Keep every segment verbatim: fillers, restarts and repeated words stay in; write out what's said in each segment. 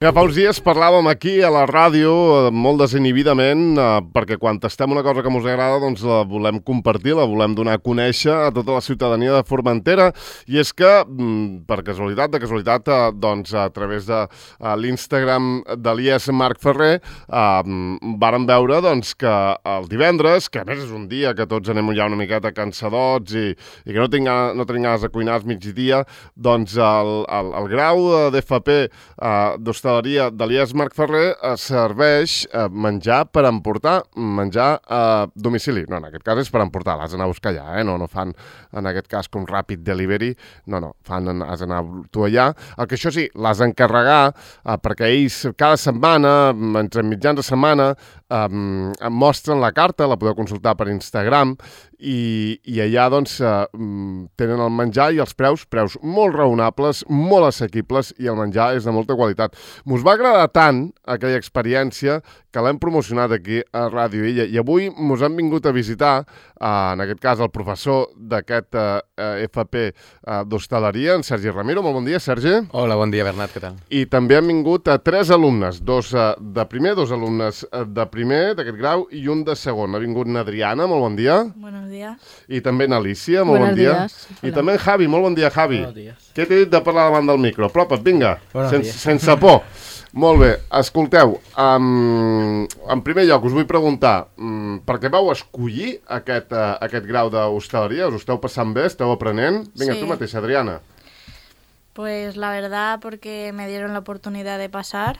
Ja fa uns dies parlàvem aquí a la ràdio molt desinhibidament eh, perquè quan tastem una cosa que ens agrada doncs la volem compartir, la volem donar a conèixer a tota la ciutadania de Formentera i és que, per casualitat, de casualitat, eh, doncs a través de eh, l'Instagram de l'I E S Marc Ferrer eh, vàrem veure doncs que el divendres, que a més és un dia que tots anem ja una miqueta cansadots i, i que no, tinc, no tenim ganes de cuinar al migdia, doncs el, el, el grau d'F P eh, d'hostaleria de l'I E S Marc Ferrer serveix menjar per emportar, menjar a domicili. No, en aquest cas és per emportar, l'has d'anar a buscar allà, eh? No, no fan, en aquest cas, com ràpid delivery, no, no, fan, has d'anar tu allà. El que això sí, l'has d'encarregar eh, perquè ells cada setmana, entre mitjans de setmana, eh, em mostren la carta, la podeu consultar per Instagram, i, i allà doncs eh, tenen el menjar i els preus, preus molt raonables, molt assequibles i el menjar és de molta qualitat. M'us va agradar tant aquella experiència que l'hem promocionat aquí a Ràdio Illa i avui mos han vingut a visitar, eh, en aquest cas el professor d'aquest eh, F P eh, d'hostaleria, en Sergi Ramiro. Molt bon dia, Sergi. Hola, bon dia, Bernat, què tal? I també han vingut eh, tres alumnes, dos eh, de primer, dos alumnes eh, de primer d'aquest grau i un de segon. Ha vingut n'Adriana, molt bon dia. Buenos días. I també n'Alicia, molt Buenos bon dia. días. I també en Javi, molt bon dia, Javi. Buenos días. Què t'he dit de parlar davant del micro? Apropa't, vinga, Buenos sense, días. sense por. Molt bé, escolteu, um, en primer lloc us vull preguntar, um, per què vau escollir aquest, uh, aquest grau d'hostaleria? Us ho esteu passant bé? Esteu aprenent? Vinga, Sí. tu mateixa, Adriana. Pues la verdad porque me dieron la oportunidad de pasar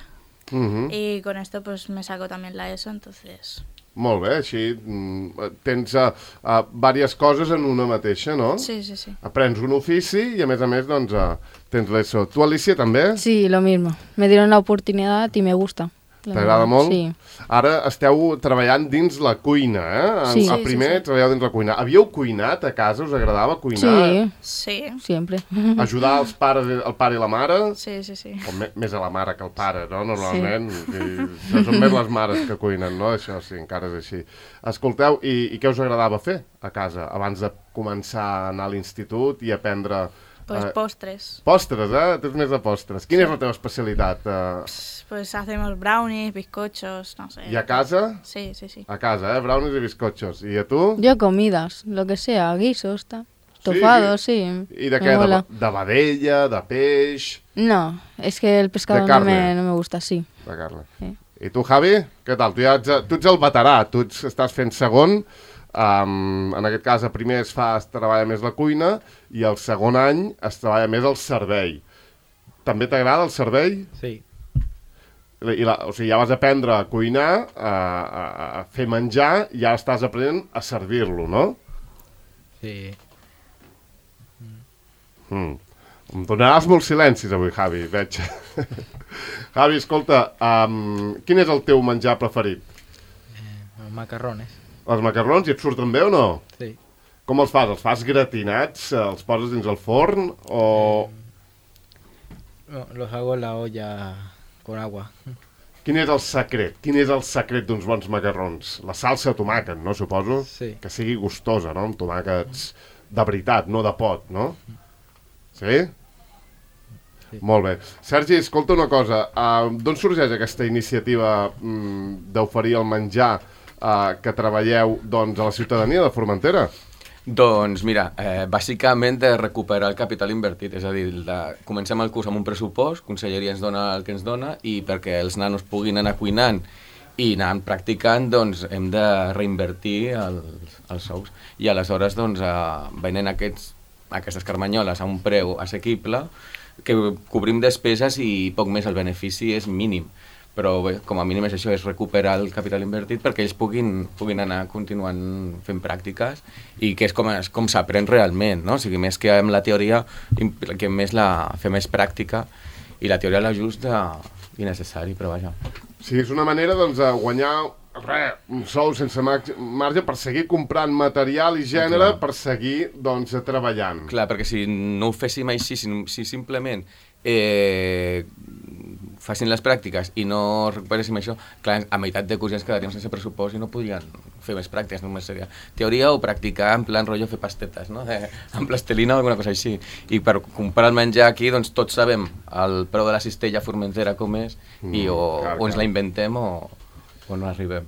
Uh -huh. y con esto pues me saco también la ESO, entonces... Molt bé, així mm, tens uh, uh, diverses coses en una mateixa, no? Sí, sí, sí. Aprens un ofici i a més a més doncs uh, tens l'ESO. Tu, Alicia, també? Sí, lo mismo. Me dieron la oportunidad y me gusta. T'agrada molt? Sí. Ara esteu treballant dins la cuina, eh? Sí. A Sí, primer sí, sí. treballeu dins la cuina. Havíeu cuinat a casa? Us agradava cuinar? Sí, Sí, siempre. Ajudar els pares, el pare i la mare? sí, sí, sí. O me, més a la mare que al pare, no? Normalment. Sí. I, això són més les mares que cuinen, no? Això sí, encara és així. Escolteu, i, i què us agradava fer a casa abans de començar a anar a l'institut i aprendre... Pues eh, postres. Postres, eh? Tens més de postres. Quina és la teva especialitat? Eh, Pues hacemos brownies, bizcochos, no sé. I a casa? Sí, sí, sí. A casa, eh? Brownies i bizcochos. I a tu? Yo comidas, lo que sea, guisos, ta. Estofados, sí. I de Me què? De, mola. de vedella, de peix, No, es que el pescado De no carne. me, no me gusta así. de carn. Sí. I tu, Javi? Què tal? Tu, ja ets, tu ets el veterà, tu ets, estàs fent segon, um, en aquest cas a primer es fa, es treballa més la cuina i el segon any es treballa més el servei. També t'agrada el servei? Sí, I la, o sigui, ja vas aprendre a cuinar, a, a, a fer menjar, i ara estàs aprenent a servir-lo, no? sí. Mm. Em donaràs molts silencis avui, Javi, veig. Javi, escolta, um, quin és el teu menjar preferit? Eh, macarrones. Els macarrons, i et surten bé o no? Sí. Com els fas? Els fas gratinats? Els poses dins el forn? O... No, los hago en la olla con agua. Quin és el secret? Quin és el secret d'uns bons macarrons? La salsa de tomàquet, no, suposo? Sí. Que sigui gustosa, no? Amb tomàquets de veritat, no de pot, no? Sí? Sí. Molt bé. Sergi, escolta una cosa. Uh, D'on sorgeix aquesta iniciativa mm, d'oferir el menjar uh, que treballeu doncs, a la ciutadania de Formentera? Doncs mira, eh, bàsicament de recuperar el capital invertit, és a dir, de, comencem el curs amb un pressupost, Conselleria ens dona el que ens dona i perquè els nanos puguin anar cuinant i anar practicant, doncs hem de reinvertir els, els sous. I aleshores, doncs, eh, venent aquests, aquestes carmanyoles a un preu assequible, que cobrim despeses i poc més, el benefici és mínim. Però bé, com a mínim és això, és recuperar el capital invertit perquè ells puguin, puguin anar continuant fent pràctiques i que és com, és com s'aprèn realment, no? O sigui, més que amb la teoria, que més la, fer més pràctica i la teoria la justa i necessari, però vaja. Sí, és una manera doncs, de guanyar res, un sou sense marge per seguir comprant material i gènere, Clar. per seguir doncs, treballant. Clar, perquè si no ho féssim així, si, si simplement eh, facin les pràctiques i no recuperéssim això, clar, a meitat de curs ja ens quedaríem sense pressupost i no podrien fer més pràctiques, només seria teoria o practicar en plan rotllo fer pastetes, no? De, amb plastelina o alguna cosa així. I per comprar el menjar aquí, doncs tots sabem el preu de la cistella formentera com és mm, i o, clar, o ens clar. la inventem o, o no arribem.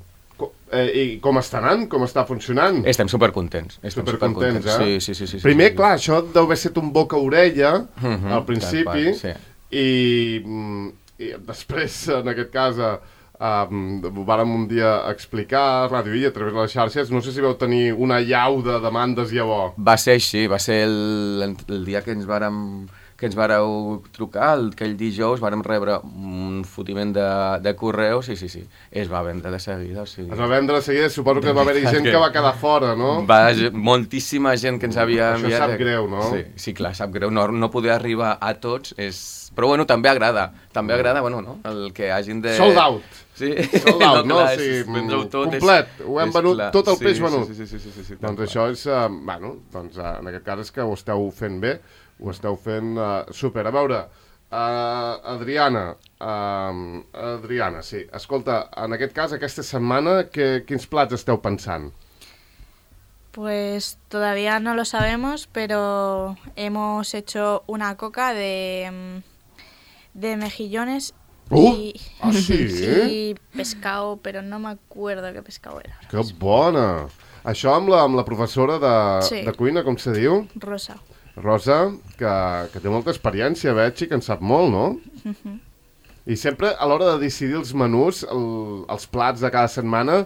Eh, I com està anant? Com està funcionant? Estem supercontents. Estem supercontents, super eh? Sí, sí, sí, sí, Primer, sí, clar, això deu haver estat un boca-orella uh-huh, al principi, part, sí. i, i després, en aquest cas, um, ho vàrem un dia explicar a Ràdio I, a través de les xarxes, no sé si vau tenir una llau de demandes llavors. Va ser així, va ser el, el dia que ens vàrem... que ens vareu trucar, el, aquell dijous vàrem rebre un fotiment de, de correus, sí, sí, sí, es va vendre de seguida. O sigui... Es va vendre de seguida, suposo que va haver-hi gent que va quedar fora, no? Va, moltíssima gent que ens havia enviat. Això sap greu, no? Sí, sí, clar, sap greu, no, no poder arribar a tots és... Però bueno, també agrada, també agrada, bueno, no? El que hagin de... Sold out! Sí, sold out, no? Clar, O sigui, tot, complet, és, ho hem és venut, clar. tot el sí, peix venut. Sí, sí, sí, sí, sí, sí, doncs això és, uh, bueno, doncs uh, en aquest cas és que ho esteu fent bé, ho esteu fent uh, super. A veure, uh, Adriana, uh, Adriana, sí, escolta, en aquest cas, aquesta setmana, que, quins plats esteu pensant? Pues todavía no lo sabemos, pero hemos hecho una coca de, de mejillones Uh, y, ah, sí? y pescado, pero no me acuerdo qué pescado era. Que bona! Això amb la, amb la professora de, Sí. de cuina, com se diu? Rosa. Rosa, que, que té molta experiència, veig, i que en sap molt, no? Ujú. I sempre, a l'hora de decidir els menús, el, els plats de cada setmana,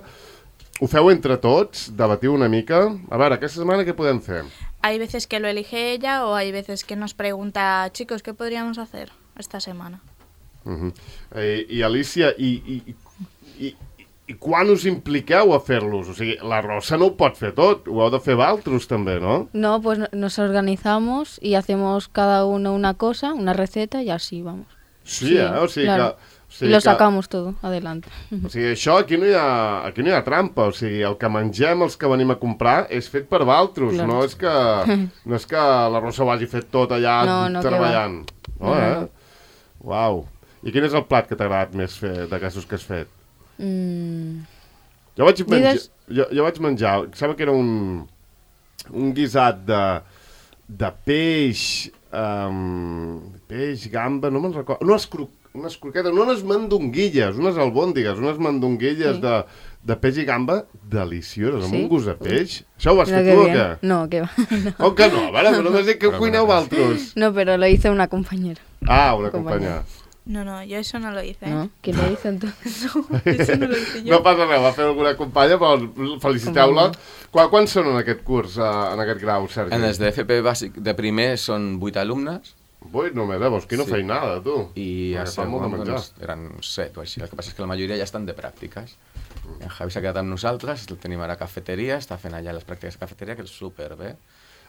ho feu entre tots? Debatiu una mica? A veure, aquesta setmana què podem fer? Hay veces que lo elige ella o hay veces que nos pregunta, chicos, ¿qué podríamos hacer esta semana? Uh -huh. I, I Alicia, i, i, i, i quan us impliqueu a fer-los? O sigui, la Rosa no ho pot fer tot, ho heu de fer vosaltres també, no? No, pues no- nos organizamos y hacemos cada uno una cosa, una receta y así vamos. Sí, Sí, eh? O sigui claro. que... O Y sigui lo que, sacamos todo adelante. o sigui, això aquí no, hi ha, aquí no hi ha trampa, o sigui, el que mengem, els que venim a comprar, és fet per vosaltres, Claro. no és que no és que la Rosa ho hagi fet tot allà No, no, que treballant. No, No, eh? no. Uau. I quin és el plat que t'ha agradat més fer d'aquestos que has fet? Mm, Jo vaig menjar, Digues. jo, jo vaig menjar, em sembla que era un, un guisat de, de peix, um, peix, gamba, no me'n recordo, unes, cro, unes croquetes, no unes mandonguilles, unes albòndigues, unes mandonguilles Sí. de, de peix i gamba delicioses, amb Sí? un gust de peix. Això ho has mira fet qué tu o bien. què? No, que va. No. Com que no? A veure, però només dic que ho cuineu vosaltres. No, pero lo hizo una compañera. Ah, una Compañera. companya. No, no, yo eso no lo hice. ¿eh? ¿No? ¿Quién lo hizo entonces? Eso no lo hice yo. No passa res, va fer alguna companya, però feliciteu-la. Quan, quan són en aquest curs, uh, en aquest grau, Sergi? En els de F P bàsic de primer són vuit alumnes Vuit només, eh? Vols que no Sí. feinada, tu. i a Perquè fa molt de segon menjar. doncs, eren set o així. El que passa és que la majoria ja estan de pràctiques. En Javi s'ha quedat amb nosaltres, el tenim ara a cafeteria, està fent allà les pràctiques de cafeteria, que és superbé.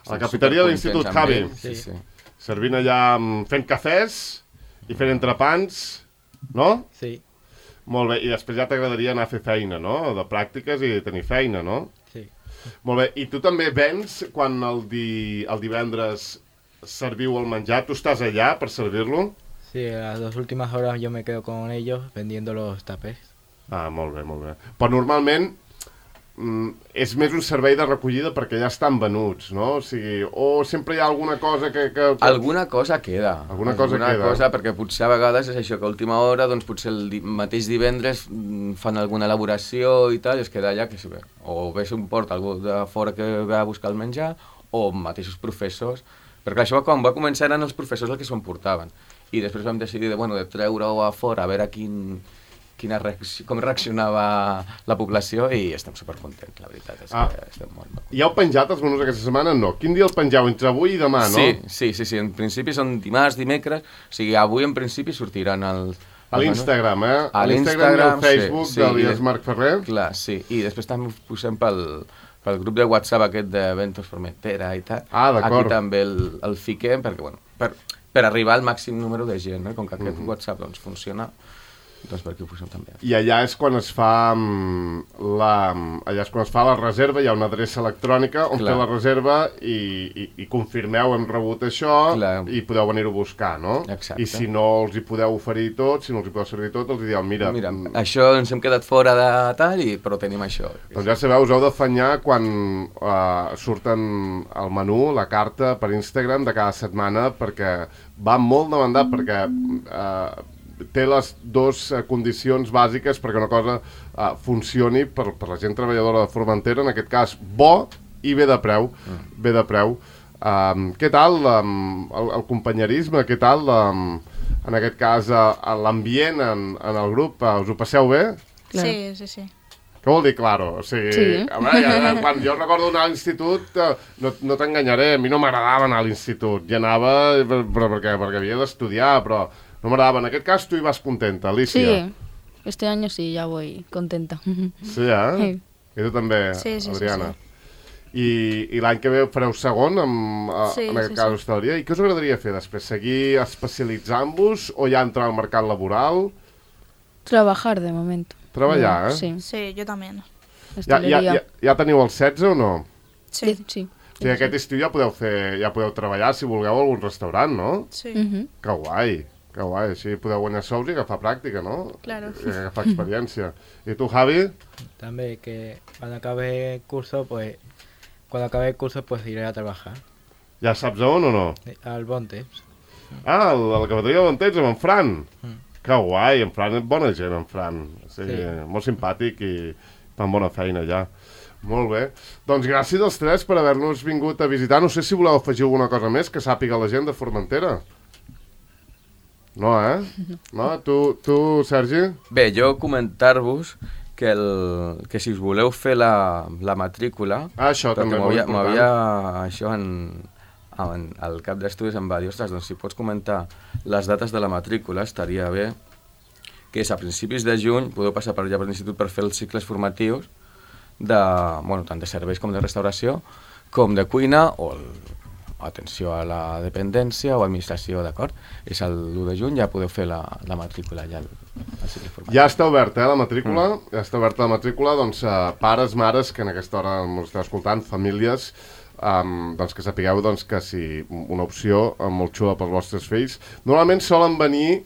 A la cafeteria de l'Institut Supercontents amb Javi. ell, Sí, sí. Servint allà, mm, fent cafès i fent entrepans, no? Sí, Molt bé, i després ja t'agradaria anar a fer feina, no? De pràctiques i tenir feina, no? sí. Molt bé, i tu també vens quan el, di... el divendres serviu el menjar? Tu estàs allà per servir-lo? Sí, las dos últimas horas yo me quedo con ellos vendiendo los tapés. Ah, molt bé, molt bé. Però normalment mm, és més un servei de recollida perquè ja estan venuts, no? O sigui, o sempre hi ha alguna cosa que... que, que... Alguna cosa queda. Alguna cosa alguna queda. Cosa, perquè potser a vegades és això, que a última hora, doncs potser el di mateix divendres mm, fan alguna elaboració i tal, i es queda allà, que si bé, o bé s'importa algú de fora que ve a buscar el menjar, o mateixos professors, perquè això quan va començar eren els professors els que s'ho emportaven, i després vam decidir de, bueno, de treure-ho a fora, a veure quin, quina reacció, com reaccionava la població, i estem supercontents, la veritat és Ah. que estem molt, molt Ja heu penjat els menús aquesta setmana? No. Quin dia el pengeu? Entre avui i demà, no? Sí, sí, sí, sí, en principi són dimarts, dimecres, o sigui, avui en principi sortiran els... A l'Instagram, eh? A l'Instagram i al l'Instagram, Facebook sí, sí, d'Elias i- Marc Ferrer. Clar, sí, i després també ho posem pel, pel grup de WhatsApp aquest de Ventos Formentera i tal. Ah, d'acord. Aquí també el, el fiquem, perquè, bueno, per, per arribar al màxim número de gent, no? Com que aquest Mhm. WhatsApp doncs, funciona, doncs per aquí ho posem també. I allà és quan es fa mm, la, allà és quan es fa la reserva, hi ha una adreça electrònica on Clar. fer la reserva i, i, i confirmeu hem rebut això Clar. i podeu venir-ho a buscar, no? Exacte. I si no els hi podeu oferir tot, si no els hi podeu servir tot, els hi dieu, mira... Mira, mm, això ens hem quedat fora de tal, i, però tenim això. doncs ja sabeu, us heu d'afanyar quan uh, surten el menú, la carta per Instagram de cada setmana, perquè va molt demandat, perquè uh, té les dues uh, condicions bàsiques perquè una cosa uh, funcioni per, per la gent treballadora de Formentera, en aquest cas bo i bé de preu, mm. bé de preu. Um, què tal um, el, el companyerisme, què tal um, en aquest cas uh, l'ambient en, en el grup, uh, us ho passeu bé? Clar. Sí, sí, sí. Què vol dir, claro? O sigui, Sí. a veure, ja, quan jo recordo anar a l'institut, eh, no, no t'enganyaré, a mi no m'agradava anar a l'institut. Ja anava per, per, perquè, perquè havia d'estudiar, però no m'agradava. En aquest cas tu hi vas contenta, Alicia. Sí, este año sí, ya voy contenta. Sí, eh? Sí. I tu també, Sí, sí, sí, Adriana. sí. I, I l'any que ve fareu segon, amb, a, Sí, en aquest sí, cas, sí. hostaleria. I què us agradaria fer després? Seguir especialitzant-vos o ja entrar al mercat laboral? Trabajar de momento. Treballar, eh? Sí, Sí, yo también. Ja, ja, ja, ja teniu el setze o no? Sí. Sí, sí. O sigui, aquest estiu ja podeu fer, ja podeu treballar, si vulgueu, a algun restaurant, no? Sí. Ujú. Que guai, que guai. Així podeu guanyar sous i agafar pràctica, no? Claro. I agafar experiència. I tu, Javi? También que cuando acabe el curso, pues cuando acabe el curso, pues iré a trabajar Ja saps a on o no? eh, al Bonte. Ah, a la cafeteria d'on tens, amb en Fran. Mm. Que guai, en Fran és bona gent, en Fran. O sigui, Sí. molt simpàtic i fan bona feina ja. Molt bé. Doncs gràcies als tres per haver-nos vingut a visitar. No sé si voleu afegir alguna cosa més que sàpiga la gent de Formentera. No, eh? No? Tu, tu Sergi? Bé, jo comentar-vos que, el, que si us voleu fer la, la matrícula... Ah, això perquè també, molt m'havia- important. m'havia això en, en, el cap d'estudis em va dir, ostres, doncs si pots comentar les dates de la matrícula, estaria bé, que és a principis de juny, podeu passar per allà per l'institut per fer els cicles formatius, de, bueno, tant de serveis com de restauració, com de cuina o el, atenció a la dependència o administració, d'acord? És l'u de juny, ja podeu fer la, la matrícula allà al, al cicle formatiu. Ja està oberta, eh, la matrícula. Mm. Ja està oberta la matrícula, doncs, eh, pares, mares, que en aquesta hora ens esteu escoltant, famílies, um, doncs que sapigueu doncs, que si una opció eh, molt xula pels vostres fills. Normalment solen venir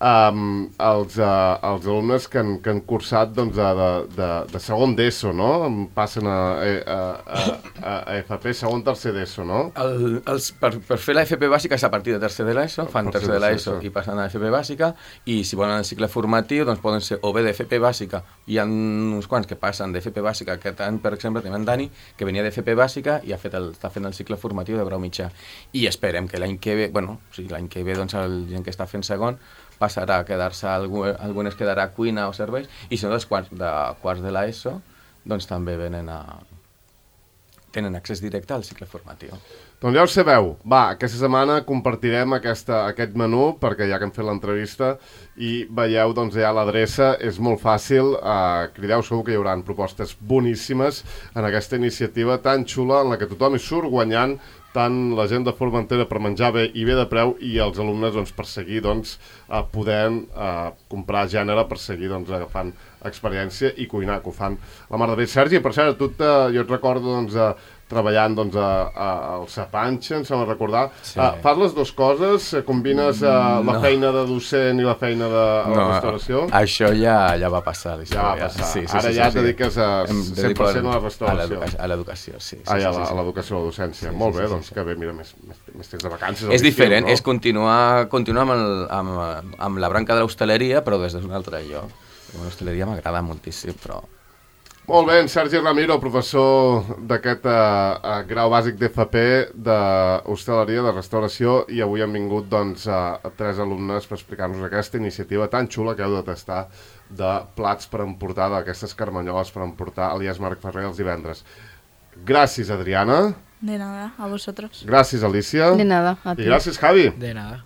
Um, els, uh, els alumnes que han, que han cursat doncs, de, de, de segon d'ESO, no? Passen a, a, a, a F P, segon, tercer d'ESO, no? El, els, per, per fer la F P bàsica és a partir de tercer de l'ESO, fan Tercer tercer de de l'ESO l'ESO. i passen a F P bàsica, i si volen el cicle formatiu doncs poden ser o bé de F P bàsica, hi ha uns quants que passen de F P bàsica, aquest any per exemple tenim en Dani, que venia de F P bàsica i ha fet el, està fent el cicle formatiu de grau mitjà, i esperem que l'any que ve, bueno, sí, l'any que ve doncs el gent que està fent segon passarà a quedar-se, algunes quedarà a cuina o serveis, i si no dels quarts de, quarts de l'ESO, doncs també venen a... tenen accés directe al cicle formatiu. Doncs ja ho sabeu. Va, aquesta setmana compartirem aquesta, aquest menú, perquè ja que hem fet l'entrevista i veieu, doncs ja l'adreça, és molt fàcil, eh, crideu, segur que hi haurà propostes boníssimes en aquesta iniciativa tan xula en la que tothom hi surt guanyant, tant la gent de Formentera per menjar bé i bé de preu i els alumnes doncs, per seguir doncs, eh, podent eh, comprar gènere, per seguir doncs, agafant experiència i cuinar, que ho fan la mar de bé. Sergi, per cert, tu te, jo et recordo doncs, a, treballant doncs, a, a, al Sapanxa, em sembla recordar. Sí. Uh, fas les dues coses? Combines uh, la No. feina de docent i la feina de a la No, restauració? això ja, ja va passar. la Ja va història. passar. Sí, sí, Ara sí, ja sí, et sí. dediques a Em cent dedico per cent a la restauració. A l'educació, a l'educació, sí. sí, Ah, ja, sí, la- sí, a sí. l'educació, a la docència. Sí, Molt sí, bé, sí, doncs sí. que bé, mira, més, més, més temps de vacances. És diferent, no? és continuar, continuar amb, el, amb, amb la branca de l'hostaleria, però des d'un altre lloc. L'hostaleria m'agrada moltíssim, però... Molt bé, en Sergi Ramiro, professor d'aquest uh, uh, grau bàsic d'F P d'hostaleria, de restauració, i avui han vingut doncs, uh, tres alumnes per explicar-nos aquesta iniciativa tan xula que heu de tastar de plats per emportar, d'aquestes carmanyoles per emportar a l'I A S Marc Ferrer els divendres. Gràcies, Adriana. De nada, a vosotros. Gràcies, Alicia. De nada, a ti. I gràcies, Javi. De nada.